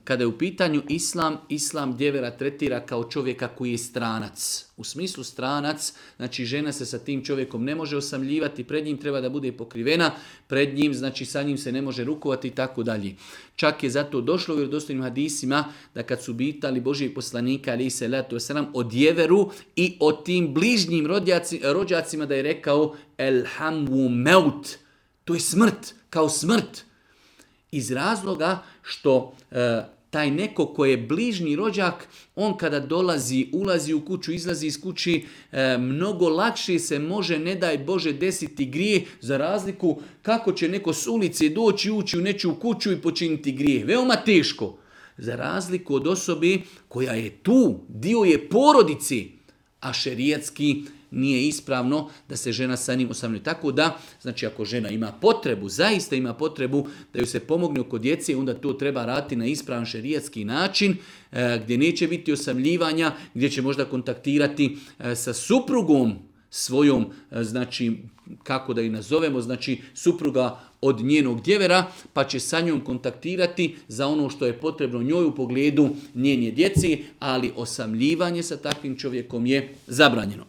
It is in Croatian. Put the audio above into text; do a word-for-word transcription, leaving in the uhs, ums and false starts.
Kada je u pitanju islam, islam djevera tretira kao čovjeka koji je stranac. U smislu stranac, znači žena se sa tim čovjekom ne može osamljivati, pred njim treba da bude pokrivena, pred njim, znači sa njim se ne može rukovati i tako dalje. Čak je zato došlo u vjerodostojnim hadisima da kad su pitali Božijeg poslanika alejhi selatu vesselam o djeveru i o tim bližnjim rođaci, rođacima da je rekao elhamu meut, to je smrt, kao smrt. Iz razloga što e, taj neko ko je bližnji rođak, on kada dolazi, ulazi u kuću, izlazi iz kući, e, mnogo lakše se može, ne daj Bože, desiti grije, za razliku kako će neko s ulice doći, ući u nečiju kuću i počiniti grije. Veoma teško. Za razliku od osobe koja je tu, dio je porodici, a šerijatski nije ispravno da se žena sa njim osamljuje. Tako da, znači ako žena ima potrebu, zaista ima potrebu da ju se pomogne oko djece, onda to treba raditi na ispravan šerijatski način, e, gdje neće biti osamljivanja, gdje će možda kontaktirati e, sa suprugom svojom, e, znači kako da i nazovemo, znači supruga od njenog djevera, pa će sa njom kontaktirati za ono što je potrebno njoj u pogledu njenje djeci, ali osamljivanje sa takvim čovjekom je zabranjeno.